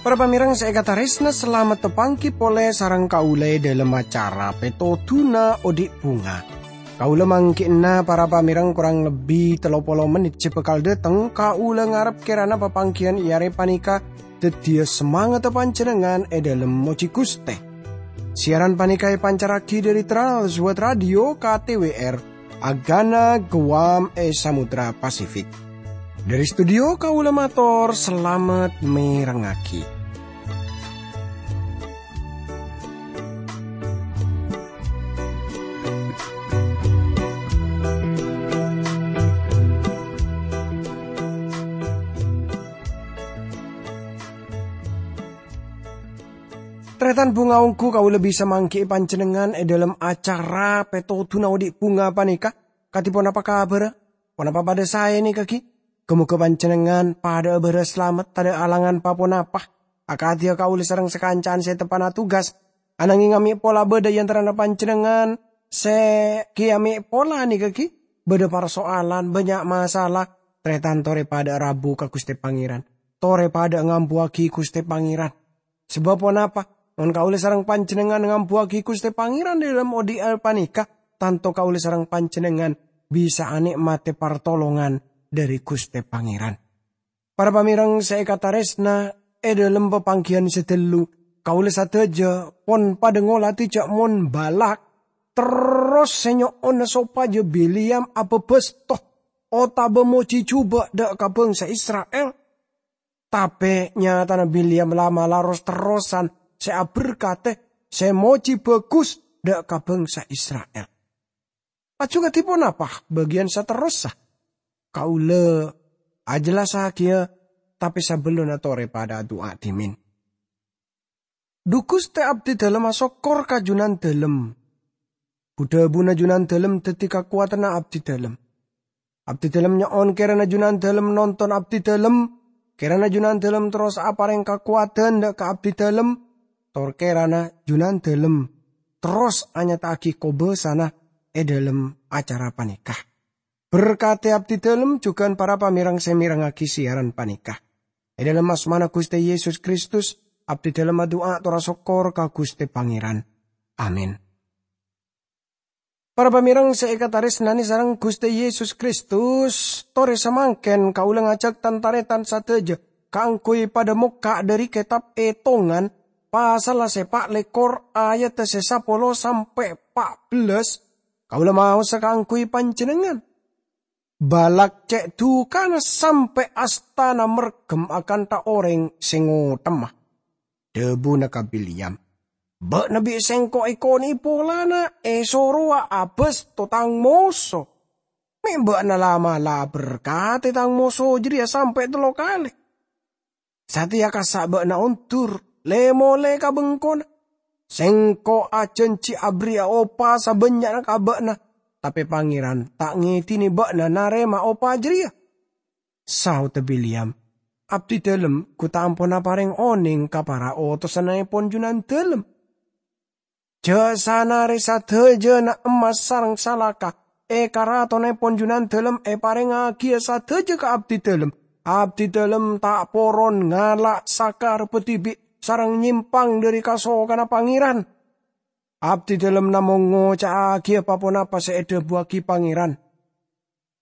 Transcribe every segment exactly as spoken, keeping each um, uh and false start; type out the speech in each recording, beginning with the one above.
Para pamèrèng sè èkatarèsna, salamet tapangghi polè sareng kaulâ è dhâlem acara Pètodhuna Odi' Bhunga. Kaulâ mangghi'na para pamèrèng korang lebbi tello polo mennit sè bhâkal dhâteng. Kaulâ ngarep kèrana papangghiyân è arè panèka dhâddhiyâ samangatta panjhennengngan è dhâlem mojhi Ghustè. Siyaran panèka èpancarraghi dhâri Trans World Radio K T W R, Agana Guam è Samudra Pasifik. Dhâri studio kaulâ mator salamet mèrengngaghi. Tarètan bhunga, ongghu kaulâ bisa mangghi'i panjhennengngan è dhâlem acara Pètodhuna Odi' Bhunga panèka. Kadhi ponapa kabhârrâ? Ponapa padâ saè nèka ghi? Ghâ-moghâ panjhennengngan padhâ'â bârâs salamet, tadâ' alangan pa-ponapa. Akadhiyâ kaulâ sareng sakanca'an sè teppa'na tugas. Ananghing amè' pola bâdâ è antarana panjhennengngan sè ghi amè' pola nèka ghi bâdâ parsoalan, bânnya' masalah. Tarètan torè padhâ'â rabu ka Ghustè Pangèran. Torè padhâ'â ngambuwâghi Ghustè Pangèran. Sabâb ponapa? Mon kaulâ sareng panjhennengngan ngambuwâghi Ghustè Pangèran è dhâlem odi'na panèka, tanto kaulâ sareng panjhennengngan bisa anè'matè partolongan dhâri Ghustè Pangèran. Para pamèrèng sè èkatarèsna, è dhâlem papangghiyân sè ghâllu, kaulâ sadhâjâ pon padâ ngolatè jhâ' mon Balak terros sè nyo'ona sopajâ Bileam abhâbhâsto otabâ mojhi jhubâ' dâ' ka bhângsa Isra'il. Tapè nyatana Bileam la'-mala' ros-terrosan sè aberkadhi, sè mojhi bhâghus dâ' ka bhângsa Isra'il. Laju kadhi ponapa bâgiyân saterrossa? Kaulâ ajhellassaghi, tapè sabellunna torè padhâ adu'a dhimèn. Dhu Ghustè, abdhidhâlem asokkor ka Jhunandhâlem. Bu-dhâbuna Jhunandhâlem dhâddhi kakowadhânna abdhidhâlem. Abdhidhâlem nyo'on kèrana Jhunandhâlem nonton abdhidhâlem, kèrana Jhunandhâlem terros aparèng kakowadhân dâ' ka abdhidhâlem, tor kèrana Jhunandhâlem terros anyata'aghi kobâsana è dhâlem acara panèka. Berkadhi abdhidhâlem jhughân para pamèrèng sè mèrengngaghi siyaran panèka. È dhâlem asmana Ghustè Yesus Kristus, abdhidhâlem adu'a tor asokkor ka Ghustè Pangèran. Amin. Para pamèrèng sè èkatarèsnanè sareng Ghustè Yesus Kristus, torè samangkèn kaulâ ngajhâk tan-tarètan sadhâjâ kaangghuy padâ mokka' dhâri Kètab Ètongan, pasalla sè pa' lèkor, ayatta sè sapolo sampè' pa' bellâs. Kaulâ maosa kaangghuy panjhennengngan. Balak cè' dhukana sampè' astana mergem akantha orèng sè ngothèma. Dhâbuna ka Bileam, "Bâ'na bi' sèngko' èkonè'è polana èsorowa abâsto tang moso. Mè' bâ'na la'-mala' aberkadhi tang moso jârèya sampè' tello kalè. Satèya kassa' bâ'na ondur, lè-molè ka bengkona. Sèngko' ajhânjhi aberri'a opa sabânnya'na ka bâ'na, tapè Pangèran ta' ngèdinè bâ'na narèma opa jârèya." Saodda Bileam, "Abdhidhâlem ghu ta' ampon aparèng onèng ka para otosannaèpon Jhunandhâlem. Jhâ' sanarè sadhâjâna emmas sareng salaka è karatonaèpon Jhunandhâlem èparèngngaghi sadhâjâ ka abdhidhâlem. Abdhidhâlem ta' poron ngala' sakarebbhâ dhibi' sareng nyèmpang dhâri kasokanna Pangèran. Abdhidhâlem namong ngoca'aghi pa-ponapa sè èdhâbuwâghi Pangèran."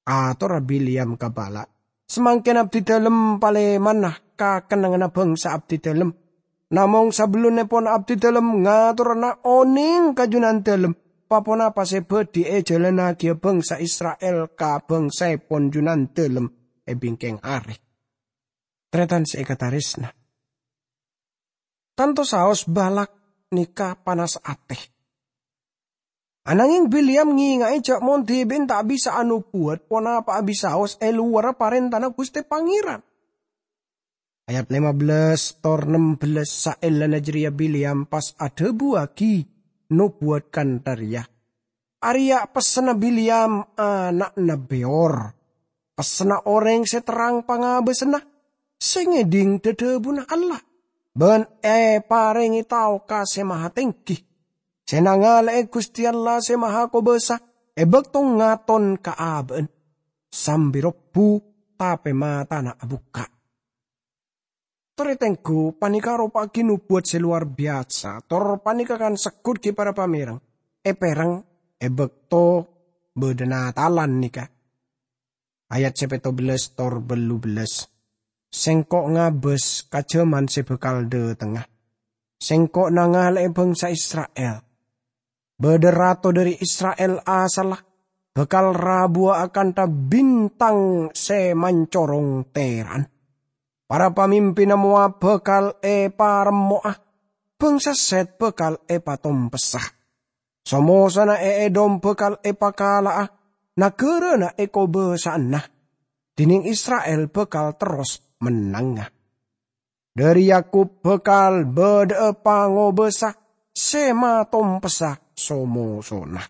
Atorra Bileam ka Balak, "Samangkèn abdhidhâlem palèmana ka kennengnganna bhângsa abdhidhâlem. Namong sabellunèpon abdhidhâlem ngatorana onèng ka Jhunandhâlem pa-ponapa sè bhâdhi èjhâlânnaghi bhângsa Isra'il ka bhângsaèpon Jhunandhâlem è bingkèng arè." Tarètan sè èkatarèsna, tanto saos Balak nèka panas atè. Anangèng Bileam ngènga'è jhâ' mon dhibi'na ta' bisa anobuwât ponapa'a bisaos è lowarra parèntana Ghustè Pangèran. Ayat lèma bellâs tor nembellâs, saellana jârèya Bileam pas adhâbuwâghi nobuwât kantha rèya. Arèya pessenna Bileam ana'na Beyor. Pessenna orèng sè terrang pangabâsânna, sè ngèdhing dhâdhâbuna Allah. ban èparèngè tao ka Sè Mahatèngghi, sè nangale'è Ghustè Allah Sè Mahakobâsa è bâkto ngaton ka abâ'na, sambi robbu, tapè matana abukka'. Torè tèngghu panèka aropa'aghi nobuwat sè lowar biyasa, tor panèka kan segghut ghi' para pamèreng, èpèrèng è bâkto bâdâna talan nèka. Ayat sè pètto bellâs tor bâllu bellâs. Sèngko' ngabâs ka jhâman sè bhâkal dâtengnga. Sèngko' nangale'è bhângsa Isra'il. Bâdâ rato dhâri Isra'il asalla bhâkal rabuwâ akantha bintang sè mancorong tèra'an. Para pamimpinna Moab bhâkal èparemmo'a, bhângsa Sèt bhâkal èpatompessa. So-mosona è Edom bhâkal èpakala'a, naghârâna èkobâsa'ana, dhinèng Isra'il bhâkal terros mennanga. Dhâri Yakub bhâkal bâdâ'â pangobâsa sè matompessa so-mosona.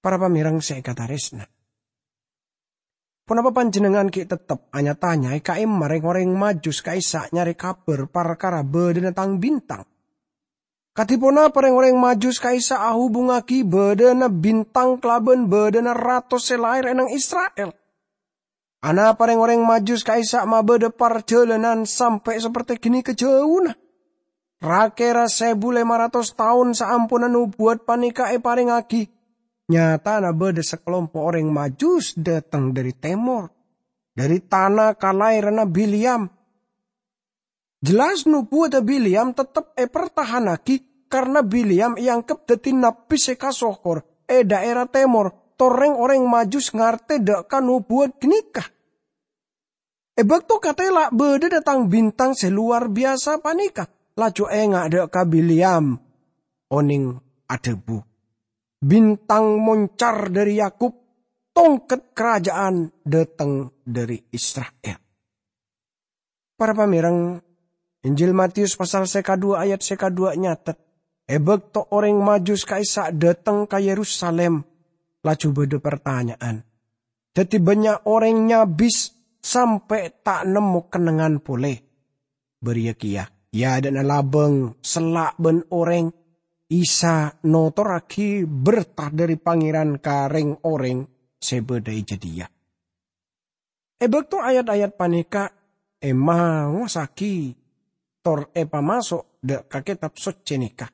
Para pamèreng sè èkatarèsna, ponapa panjhennengngan ghi' teptep anya-tanya è ka'imma rèng-orèng Majus ka'issa' nyarè kabhâr parkara bâdâna tang-bintang? Kadhi ponapa rèng-orèng Majus ka'issa' ahubungngaghi bâdâna bintang kalabân bâdâna rato sè lahèr è nang Isra'il? Anapa rèng-orèng Majus ka'issa' mabâdâ parjhâlânan sampè' sapertè ghânèka jhâuna? Ra-kèra sèbu lèma ratos taon saamponna nobuwat panèka èparèngngaghi, nyatana bâdâ sakalompo' orèng Majus dâteng dhâri tèmor, dhâri tana kalaèrana Bileam. Jelas nobuwadda Bileam teptep èpartahannaghi, karna Bileam èangghep dhâddhi nabbhi sè kasohor è dhaèra tèmor, tor rèng-orèng Majus ngartè dâ' ka nobuwat ghânèka. È bâkto katèla' bâdâna tang-bintang sè lowar biyasa panèka, laju enga' dâ' ka Bileam, onèng adhâbu, "Bintang moncar dhâri Yakub, tongket karaja'an dâteng dhâri Isra'il." Para pamèreng, Injil Matius pasal sè kaduwâ' ayat sè kaduwâ' nyatet, è bâkto orèng Majus ka'issa' dâteng ka Yerusalim, laju bâdâ partanya'an. Dhâddhi bânnya' orèng nyabis sampè' ta' nemmo kennengngan polè. Bâriyâ kèya, è adâ'na labâng, sella' bân orèng, Isa notorraghi berta dhâri Pangèran ka rèng-orèng sè bâdâ è jâdiyâ. È bâkto ayat-ayat panèka èmaossaghi tor èpamaso' dâ' ka Kètab Soccè nèka,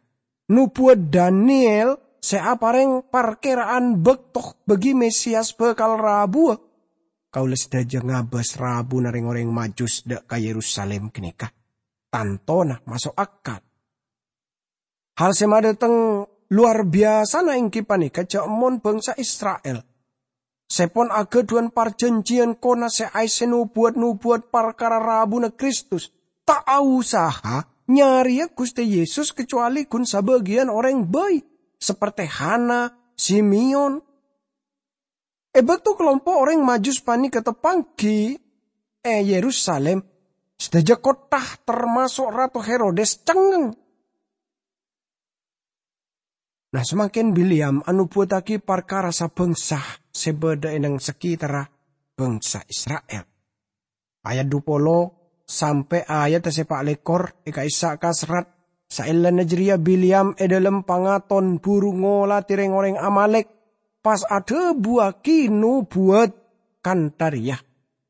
nobuwât Daniel sè aparèng parkèra'an bâkto bâgi Mesias bhâkal rabuwâ. Kaulâ sadhâjâ ngabâs rabuna rèng-orèng Majus dâ' ka Yerusalim ghânèka. Tantona maso' akal. Hal sè madâteng lowar biyasana èngghi panèka jhâ' mon bhângsa Isra'il, sè pon aghâdhuwân parjhânjhiyân kona sè aèssè nobuwât-nobuwât parkara rabuna Kristus, ta' aosaha nyarèya Ghustè Yesus kacowalè ghun sabâgiyân orèng bhâi, sapertè Hana, Simeon. È bâkto kalompo' orèng Majus panèka tapanggi è Yerusalim, sadhâjâ kottha, tamaso' Rato Herodes, cengngeng. Nah, samangkèn Bileam anobuwattaghi parkara sabângsa sè bâdâ è nang sakètarra bângsa Isra'il. Ayat dupolo sampè' ayat sè pa' lèkor è ka'issa' kaserrat, saellana jârèya Bileam è dâlem pangaton buru ngolatè rèng-orèng Amalek, pas adhâbuwâghi nobuwât kantha rèya,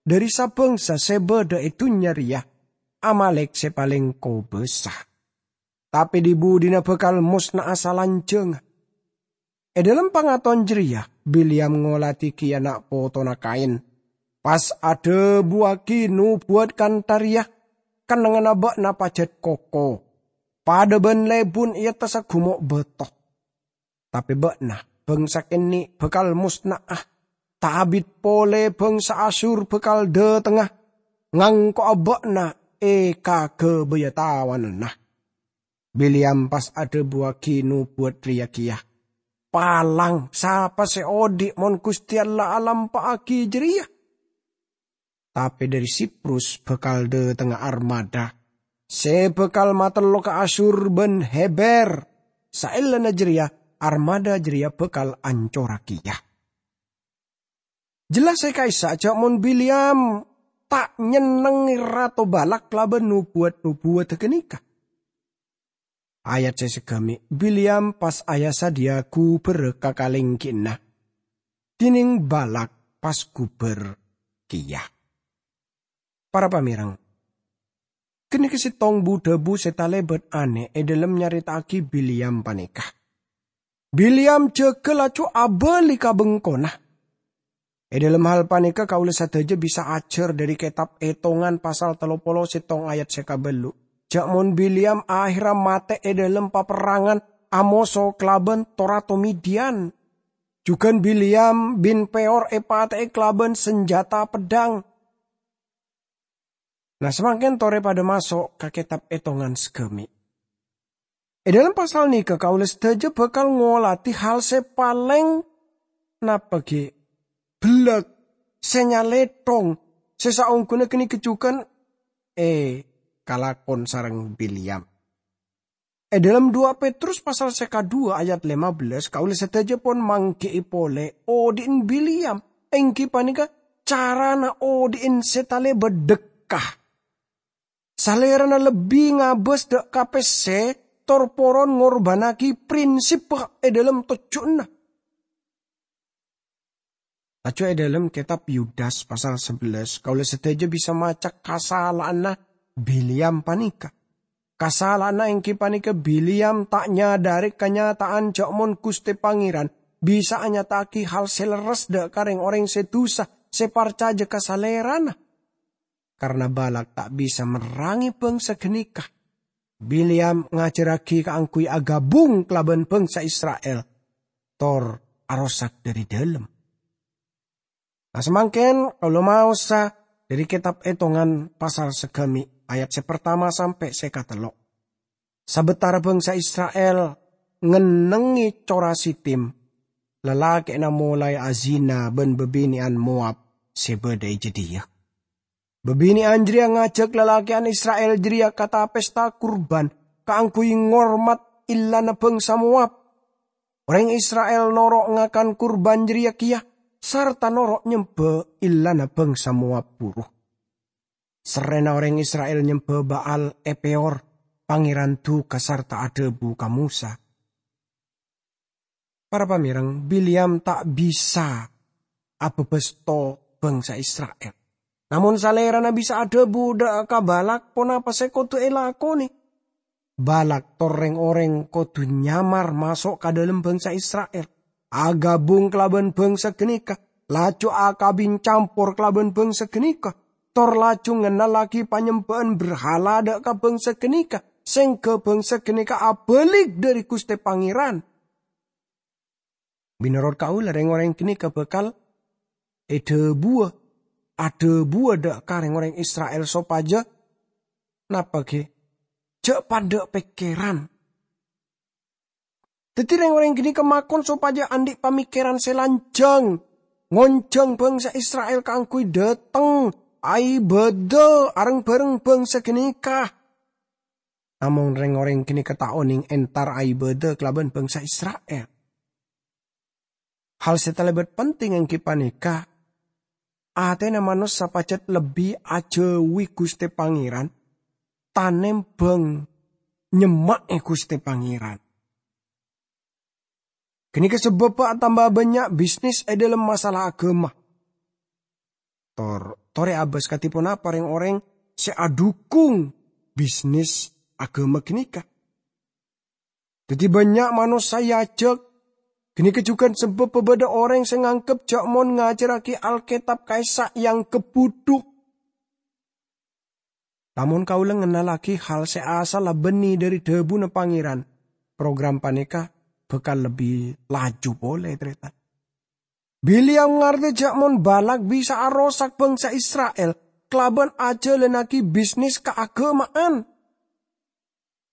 "Dhâri sabângsa sè bâdâ è dhunnya rèya, Amalek sè palèng kobâsa." Tapè dhi-budhina bhâkal mosna'a salanjhângnga. È dâlem pangaton jârèya, Bileam ngolatè kèya na' potona Kain, pas adhâbuwâghi nobuwât kantha rèya, "Kennengnganna bâ'na pajhât koko, padâ bân lebun è attassa gumo' bâto." Tapè bâ'na, bângsa kènè' bhâkal mosna'a, ta' abit polè bângsa Asyur bhâkal dâtengnga, ngangko'a bâ'na è kaghâbâyâ tawananna. Bileam pas adhâbuwâghi nobuwât rèya kèya, "Palang, sapa sè odi' mon Ghustè Allah alampa'aghi jârèya?" Tapè dhâri Siprus bhâkal dâtengnga armada sè bhâkal matello ka Asyur bân Heber. Saellana jârèya, armada jârèya bhâkal ancorra kèya. Jelas è ka'issa' jhâ' mon Bileam ta' nyennengngè Rato Balak kalabân nobuwat-nobuwadda ghânèka. Ayat sè saghâmè', Bileam pas aya-sadhâjâ ghubâr ka kalèngghi'na, dhinèng Balak pas ghubâr kèya. Para pamèreng, ghânèka sèttong bu-dhâbu sè talèbât anè' è dhâlem nyarèta'aghi Bileam panèka. Bileam jâgâ laju abâli ka bengkona. È dhâlem hal panèka kaulâ sadhâjâ bisa ajhâr dhâri kètab Ètongan pasal tello polo sèttong ayat sè kabâllu', jâ' mon Bileam ahèrra matè è dhâlem paperrangan amoso kalabân to-rato Midian. Jhughân Bileam bân Peor èpatè'è kalabân sanjhâta peddhâng. Nah, samangkèn torè padâ maso' ka kètab Ètongan saghâmè'. È dhâlem pasal nèka kaulâ sadhâjâ bhâkal ngolatè hal sè palèng napa ghi' bellâk, sè nyalèthong, sè saongghuna ghânèka jhughân èkalakon sareng Bileam. È dhâlem duwâ' Petrus pasal sè kadhuwâ ayat lèma bellâs, kaulâ sadhâjâ pon mangghi'i polè odi'en Bileam, èngghi panèka carana odi'en sè talèbât dhâkka. Salèrana lebbi ngabâs dhâ' ka pèssè tor poron ngorbhânnaghi prinsibbhâ è dhâlem tojjhuna. Laju è dhâlem kètab Yudas pasal sabellâs, kaulâ sadhâjâ bisa maca kasala'anna Bileam panèka. Kasala'anna èngghi panèka Bileam ta' nyadhâri kanyata'an jâ' mon Ghustè Pangèran bisa anyata'aghi hal sè lerres dhâ' ka rèng-orèng sè dhusa sè parcajâ ka Salèrana. Karna Balak ta' bisa merrangè bhângsa ghânèka, Bileam ngajhârraghi kaangghuy aghâbung kalabân bhângsa Isra'il, tor arosak dhâri dhâlem. Nah, samangkèn kaulâ maosa dhâri kètab Ètongan pasal saghâmè', ayat sè partama sampè' sè katello'. Sabâtara bhângsa Isra'il ngennengngè cora Sitim, lalakè'na molaè azina bân bâbinè'an Moab sè bâdâ è jâdiyâ. Bâbinè'an jârèya ngajhâk lalakè'an Isra'il jârèya ka ta-pèsta kurban kaangghuy ngormat èllana bhângsa Moab. Orèng Isra'il noro' ngakan kurban jârèya kèya, sarta noro' nyembhâ èllana bhângsa Moab buru. Serrèna orèng Isra'il nyembhâ Ba'al è Peor, Pangèran duka sarta adhâbu ka Mosa. Para pamèreng, Bileam ta' bisa abhâbhâsto bhângsa Isra'il. Namong Salèrana bisa adhâbu dhâ' ka Balak ponapa sè kodhu èlakonè. Balak tor rèng-orèng kodhu nyamar maso' ka dhâlem bhângsa Isra'il, aghâbung kalabân bhângsa ghânèka, laju akabin campor kalabân bhângsa ghânèka, tor laju ngennallaghi panyembhâ'ân berhala dhâ' ka bhângsa ghânèka, sèngghâ bhângsa ghânèka abâlik dhâri Ghustè Pangèran. Mènorot kaulâ, rèng-orèng ghânèka bhâkal èdhâbuwâ, adhâbuwâ dhâ' ka rèng-orèng Isra'il sopajâ napa ghi? Jhâ' padâ' pèkkèran. Dhâddhi, rèng-orèng ghânèka makon sopajâ andi' pamèkkèran sè lanjhâng, ngonjhâng bhângsa Isra'il kaangghuy dhâteng, aibâdâ areng-bhâreng bhângsa ghânèka. Namong rèng-orèng ghânèka ta' onèng entar aibâdâ kalabân bhângsa Isra'il. Hal sè talèbât penting èngghi panèka, atèna manossa pajhât lebbi ajhâuwi Ghustè Pangèran tanèmbhâng nyemma'è Ghustè Pangèran. Ghânèka sabâbbhâ atamba bânnya' bisnis è dhâlem masalah aghâma. Tor, torè abâs kadhi ponapa rèng-orèng sè adhukung bisnis aghâma ghânèka? Dhâddhi bânnya' manossa èajhâk. Ghânèka jhughân sabâbbhâ bâdâ orèng sè nganggep jâ' mon ngajhârraghi Alkètab ka'issa' èanggep budhu. Lamon kaulâ ngennallaghi hal sè asalla bânnè dhâri dhâbuna Pangèran, program panèka bhâkal lebbi laju polè, tarètan. Bileam ngartè jâ' mon Balak bisa arosak bhângsa Isra'il kalabân ajhâlannaghi bisnis kaaghâma'an.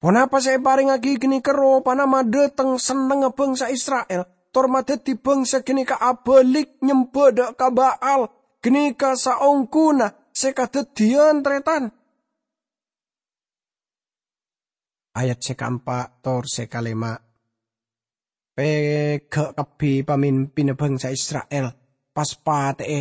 Ponapa sè èparèngaghi ghânèka ropana madhâteng sennengnga bhângsa Isra'il, tor madhâddhi bhângsa ghânèka abâlik nyembhâ dhâ' ka Ba'al? Ghânèka saongghuna sè kadhâddhiyân, tarètan. Ayat sè kaempa' tor sè kalèma'. Pèghâ' kabbhi pamimpinna bhângsa Isra'il pas patè'è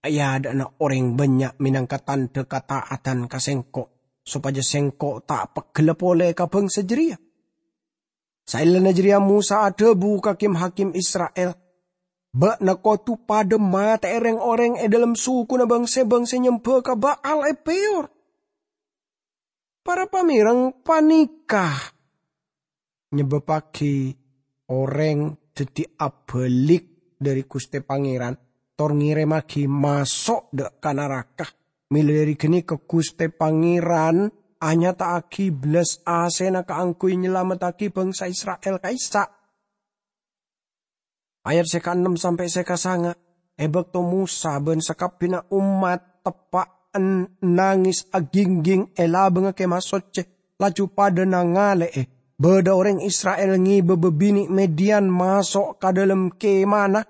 è adhâ'na orèng bânnya' mènangka tandhâ kata'atan ka Sèngko', sopajâ Sèngko' ta' peggella polè ka bhângsa jârèya." Saellana jârèya Mosa adhâbu ka kim-hakim Isra'il, "Bâ'na kodhu padhâ matè'è rèng-orèng è dhâlem sokona bâng-sèbâng sè nyembhâ ka Ba'al è Peyor." Para pamèreng, panèka nyebâbbhâghi orèng dhâddhi abâlik dhâri Ghustè Pangèran, tor ngèrèmmaghi maso' dâ' ka naraka. Mèla dhâri ghânèka Ghustè Pangèran anyata'aghi bellas asèna kaangghuy nyalamettaghi bhângsa Isra'il ka'issa'. Ayat sè kaennem sampè' sè kasanga', è bâkto Mosa bân sakabbhiyânna ommat teppa'na nangès agingging è labângnga Kèmah Soccè, laju padhâ nangalè'è bâdâ orèng Isra'il ngèbâ bâbinè' Midian maso' ka dhâlem kèmana.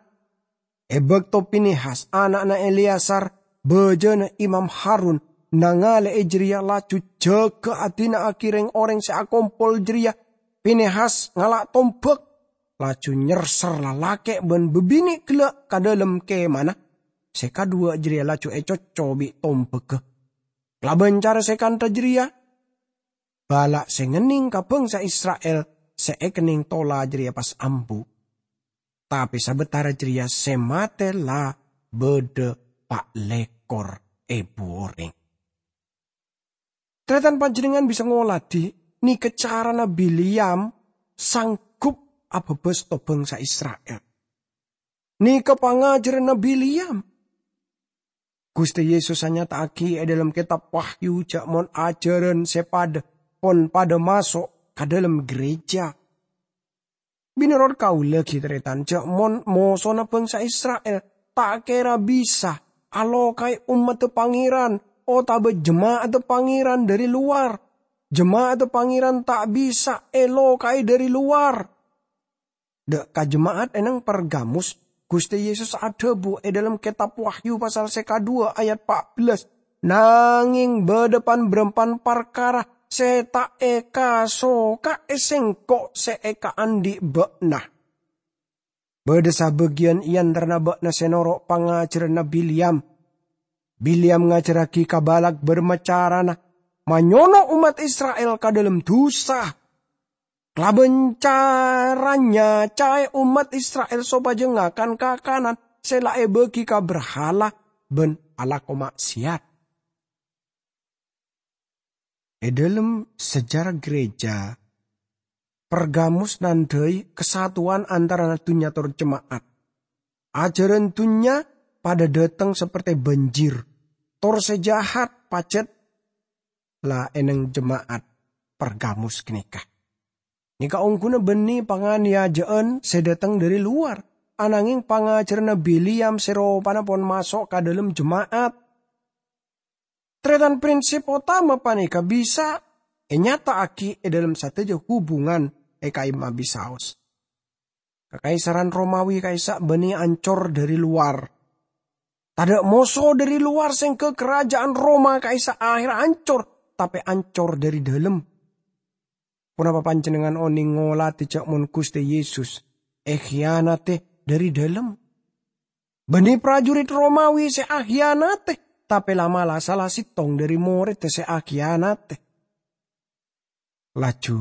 È bâkto Pinehas, ana'na Eleazar, bâjâna Imam Harun, nangalè'è jârèya, laju jâgâ adina'aghi rèng-orèng sè akompol jârèya, Pinehas ngala' tombhâk, laju nyerser lalakè' bân bâbinè' ghellâ' ka dhâlem kèmana. Sè kadhuwâ' jârèya laju ècocco bi' tombhâghâ. Kalabân cara sè kantha jârèya, bâla' sè ngennèng ka bhângsa Isra'il sè èkennèng tola jârèya pas ambu. Tapè sabâtara jârèya sè matè la bâdâ pa' lèkor èbu orèng. Tarètan, panjhennengngan bisa ngoladhi nèka carana Bileam sanggup abhâbhâs bhângsa Isra'il. Nèka pangajhârânna Bileam. Ghustè Yesus anyata'aghi è dhâlem Kètab Wahyu jâ' mon ajhârân sè padhâ pon padhâ maso' ka dhâlem gereja. Mènorot kaulâ ghi, tarètan, jâ' mon mosona bhângsa Isra'il ta' kèra bisa aloka'è ommaddhâ Pangèran otabâ jema'adda Pangèran dhâri lowar. Jema'adda Pangèran ta' bisa èloka'è dhâri lowar. Dâ' ka jema'at è nang Pergamus, Ghustè Yesus adhâbu è dhâlem Kètab Wahyu pasal sè kadhuwâ' ayat pa' bellas, "Nangèng bâdâ pan-bârâmpan parkara sè ta' èkasoka'è Sèngko' sè èkaandhi' bâ'na. Bâdâ sabâgiyân è antarana bâ'na sè noro' pangajhârânna Bileam. Bileam ngajhârraghi ka Balak bârâmma carana manyono' ommat Isra'il ka dhâlem dhusa. Kalabân cara nyaca'è ommat Isra'il sopajâ ngakan kakanan sè la èbâghi ka brahala bân alako ma'siyat." È dhâlem sejarah gereja, Pergamus nandhâi kasatowan antarana dhunnya tor jema'at. Ajhârân dhunnya padhâ dâteng saperte banjir, tor sè jahat pajhât la è nang jema'at Pergamus ghânèka. Nèka ongghuna bânnè panganiyajâ'ân sè dâteng dhâri lowar, anangèng pangajhârânna Bileam sè ropana pon maso' ka dhâlem jema'at. Tarètan, prinsip otama panèka bisa ènyata'aghi è dhâlem sadhâjâ hubungan è ka'imma bisaos. Kakaisaran Romawi ka'issa' bânnè ancor dhâri lowar. Tadâ' moso dhâri lowar, sèngghâ karaja'an Roma ka'issa' ahèrra ancor, tapè ancor dhâri dhâlem. Ponapa panjhennengngan onèng ngoladhi jâ' mon Ghustè Yesus èkhiyanatè dhâri dhâlem? Bânnè prajurit Romawi sè akhiyanatè, tapè la'-mala' sala sèttong dhâri morèdda sè akhiyanatè. Laju,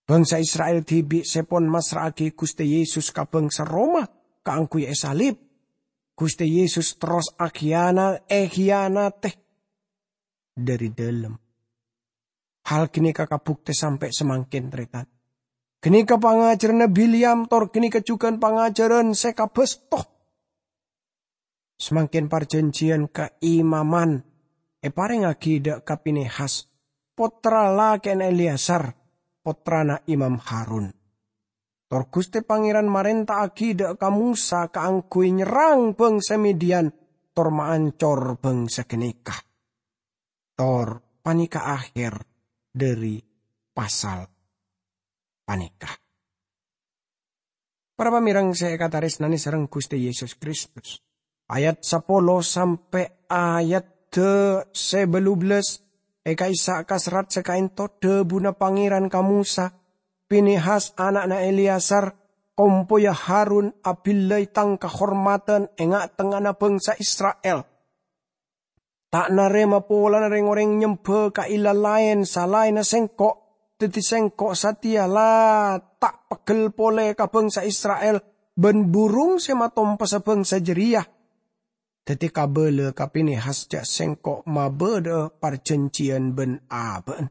bhângsa Isra'il dhibi' sè pon massra'aghi Ghustè Yesus ka bhângsa Roma kaangghuy èsalib. Ghustè Yesus terros akhiyanat-, èkhiyanatè dhâri dhâlem. Hal ghânèka kabuktè sampè' samangkèn, tarètan. Ghânèka pangajhârânna Bileam, tor ghânèka jhughân pangajhârân sè kabâsto. Samangkèn parjhânjhiyân kaimaman èparèngngaghi dâ' ka Pinehas, pottra lakèna Eleazar, pottrana Imam Harun. Tor Ghustè Pangèran marènta'aghi dâ' ka Mosa kaangghuy nyerrang bhângsa Midian, tor maancor bhângsa ghânèka. Tor panèka akhèr dhâri pasal panèka. Para pamèreng sè èkatarèsnanè sareng Ghustè Yesus Kristus, ayat sapolo sampè' ayat sè bâllu bellâs è ka'issa' kaserrat sè ka'ènto dhâbuna Pangèran ka Mosa, "Pinehas, ana'na Eleazar, kompoya Harun abillai tang kahormadhân è nga'-tengnga'anna bhângsa Isra'il. Ta' narèma polana rèng-orèng nyembhâ ka ilah laèn salaènna sèngko', dhâddhi sèngko' satèya la ta' peggel polè ka bhângsa Isra'il bân burung sè matompessa bhângsa jârèya. Dhâddhi kabâlâ ka Pinehas jhâ' sèngko' mabâdâ'â parjhânjhiyân bân abâ'na.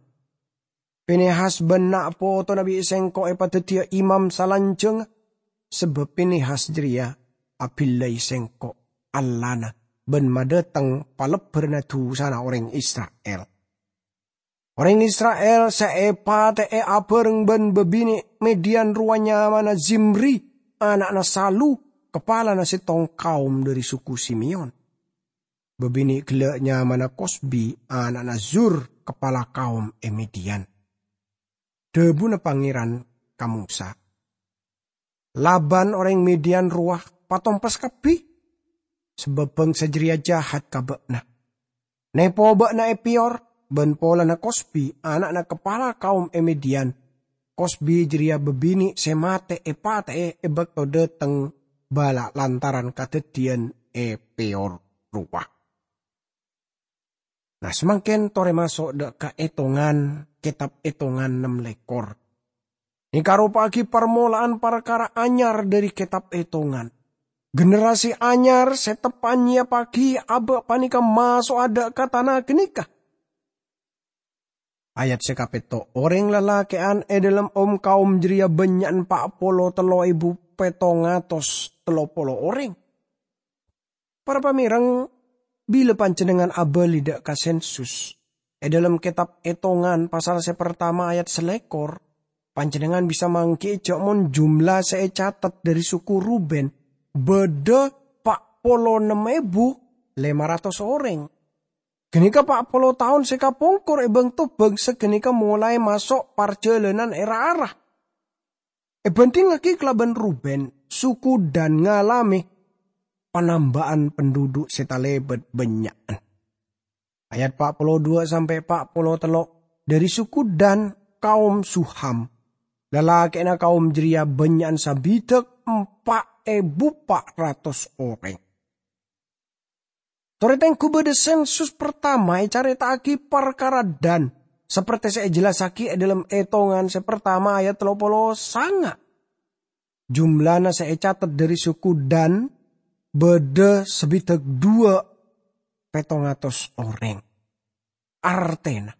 Pinehas bân na' potona bi' sèngko' èpadhâddhiyâ imam salanjhângnga, sabâb Pinehas jârèya abillai sèngko' Allahna bân madhâteng palebbhârânna dhusana orèng Isra'il. Orèng Isra'il sè èpatè'è abhâreng bân bâbinè' Midian rowa nyamana Zimri, ana'na Salu, kapalana sèttong kaom dhâri suku Simeon. Bâbinè' ghellâ' nyamana Kosbi, ana'na Zur, kapala kaom è Midian. Dhâbuna Pangèran ka Mosa, "Laban orèng Midian rowa patompes kabbhi, sabâb bhângsa jârèya jahat ka bâ'na. Nèpo bâ'na è Peyor, bân polana Kosbi, ana'na kapala kaom è Midian. Kosbi jârèya bâbinè' sè matè èpatè'è è bâkto dhâteng bâlâ' lantaran kadhâddhiyân è Peyor rowa." Nah, samangkèn torè maso' dhâ' ka Ètongan, kètab Ètongan nem lèkor. Nèka aropa'aghi parmola'an parkara anyar dhâri kètab Ètongan. Generasi anyar sè teppa'an nyèyappaghi abâ' panèka maso'a dhâ' ka tana ghânèka. Ayat sè kapètto', orèng lalakè'an è dhâlem om-kaom jârèya bânnya'an pa' polo tello èbu pètto ngatos tello polo orèng. Para pamèreng, bilâ panjhennengngan abâli dhâ' ka sensus, è dhâlem kètab Ètongan pasal sè partama ayat salèkor, panjhennengngan bisa mangghi'i jhâ' mon jumlah sè ècatet dhâri suku Ruben bâdâ pa' polo nem èbu lèma ratos orèng. Ghânèka pa' polo taon sè kapongkor è bângto bhângsa ghânèka molaè maso' parjhâlânan è ra-ara. Èbhândhingngaghi kalabân Ruben, suku Dan ngalamè panamba'an penduduk sè talèbât bânnya'an. Ayat pa' polo duwâ' sampè' pa' polo tello', dhâri suku Dan, kaom Suham. Lalakè'na kaom jârèya bânnya'an sabidhâk empa' èbu pa' ratos orèng. Torè tengghu bâdâ sensus partama ècarèta'aghi parkara Dan, sapertè sè èjellassaghi è dhâlem Ètongan sè partama ayat tello polo sanga'. Jumlana sè ècatet dhâri suku Dan bâdâ sabidhâk duwâ' pètto ngatos orèng. Artèna,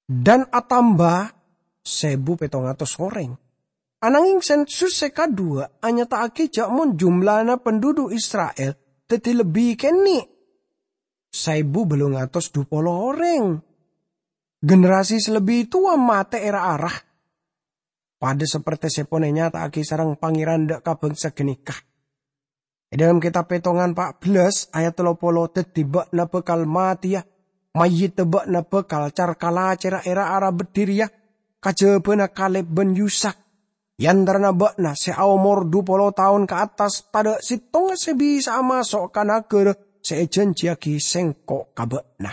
Dan atamba sèbu pètto ngatos orèng. Ananghing sensus sè kaduwâ' anyata'aghi jhâ' mon jumlana penduduk Isra'il dhâddhi lebbi kènè', saèbu bâllung atos dhu polo orèng. Generasi sè lebbi towa matè è ra-ara, padâ sapertè sè pon ènyata'aghi sareng Pangèran dhâ' ka bhângsa ghânèka. È dhâlem kètab Pètongan pa' bellâs ayat tello polo, "Dhâddhi bâ'na bhâkal matèya, mayyidhâ bâ'na bhâkal car-kalacèra è ra-ara beddhi rèya, kajhâbhâna Kaleb bân Yusak. È antarana bâ'na sè aomor dhu polo taon ka attas, tadhâ' sèttonga sè bisa'a maso' ka naghârâ sè èjhânjhiyaghi Sèngko' ka bâ'na."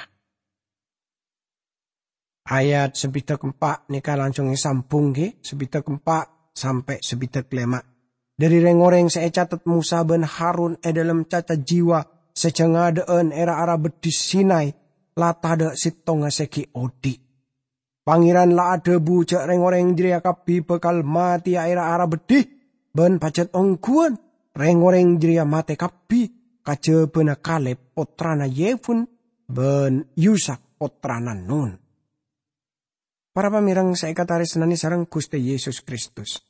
Ayat sabidhâk empa' nèka langsung èsambhung, ghi, sabidhâk empa' sampè' sabidhâk lèma'. Dhâri rèng-orèng sè ècatet Mosa bân Harun è dhâlem caca jiwa sè jhângadhâ'ân è ra-ara beddhi Sinai, la tadhâ' sèttonga sè ghi' odi'. Pangèran la adhâbu jhâ' rèng-orèng jârèya kabbhi bhâkal matèya è ra-ara beddhi, bân pajhât ongghuwân rèng-orèng jârèya matè kabbhi, kajhâbhâna Kaleb pottrana Yefun bân Yusak pottrana Nun. Para pamèreng sè èkatarèsnanè sareng Ghustè Yesus Kristus,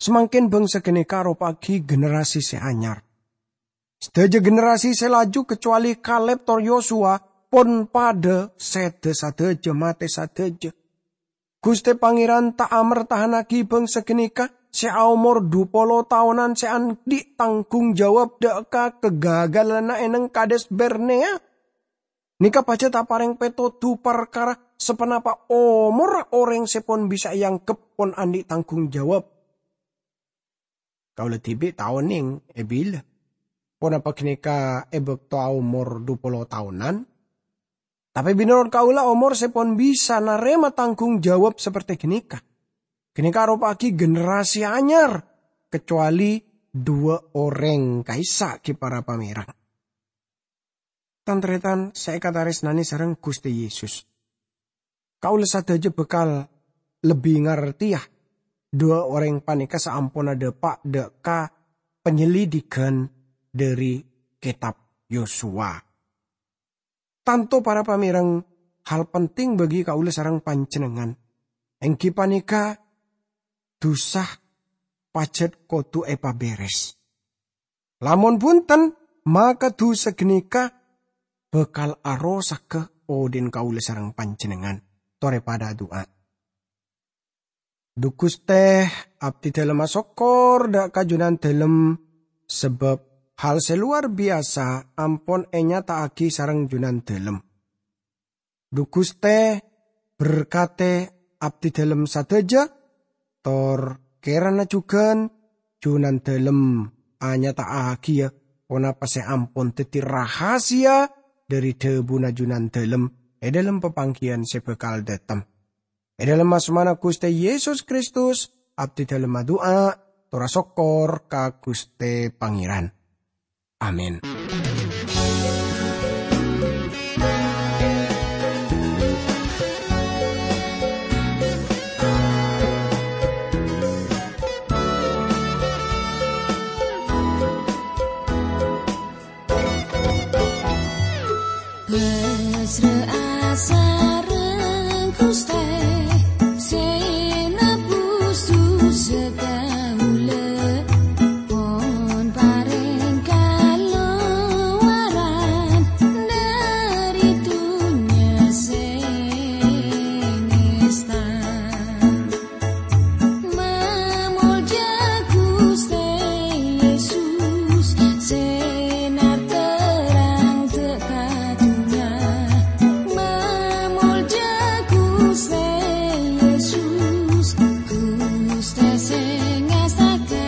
samangkèn bhângsa ghânèka aropa'aghi generasi sè anyar. Sadhâjâ generasi sè laju, kacowalè Kaleb tor Yosua, pon padâ sèdhâ sadhâjâ, matè sadhâjâ. Ghustè Pangèran ta' amertahannaghi bhângsa ghânèka sè aomor dhu polo taonan sè andi' tangghung jawab dhâ' ka kagagalanna è nèng Kades Barnea. Nèka pajhât aparèng pètodhu parkara saponapa omorra orèng sè pon bisa èangghep pon andi' tangghung jawab. Kaulâ dhibi' ta' onèng è bilâ ponapa ghânèka è bâkto aomor dhu polo taonan. Tapè mènorot kaulâ, omor sè pon bisa narèma tangghung jawab sapertè ghânèka. Ghânèka aropa'aghi generasi anyar, kacowalè duwâ' orèng ka'issa' ghi' para pamèreng. Tan-tarètan sè èkatarèsnanè sareng Ghustè Yesus, kaulâ sadhâjâ bhâkal lebbi ngartèya duwâ' orèng panèka saamponna dâpa' dâ' ka panyelidhighân dhâri Kètab Yosua. Tanto para pamèreng, hal penting bagi kaulâ sareng panjhennengngan, èngghi panèka dhusa pajhât kodhu èpabèrès. Lamon bhunten, maka dhusa ghânèka bhâkal arosagghâ odhi'na kaulâ sareng panjhennengngan. Torè padhâ adu'a. Dhu Ghustè, abdhi dhâlem asokkor dâ' ka Jhunandhâlem, sabâb hal sè lowar biyasa ampon ènyata'aghi sareng Jhunandhâlem. Dhu Ghustè, berkatè abdhi dhâlem sadhâjâ, tor kèrana jhughân Jhunandhâlem anyata'aghiyâ ponapa sè ampon dhâddhi rahasia dhâri dhâbuna Jhunandhâlem è dhâlem papangghiyân sè bhâkal dhâteng. È dhâlem asmana Ghustè Yesus Kristus, abdhi dhâlem adu'a, tor asokkor ka Ghustè Pangèran. Amin. Mesra'a sareng Ghustè sè nebus dhusa kaulâ, pon parèng kalowaran dhâri dhunnya sè ngèsta. Mamolja Ghustè Yesus, sè nar-terrang dâ' ka dhunnya. Mamolja Ghustè Yesus, Ghustè sè ngastaka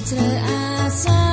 dhâsa.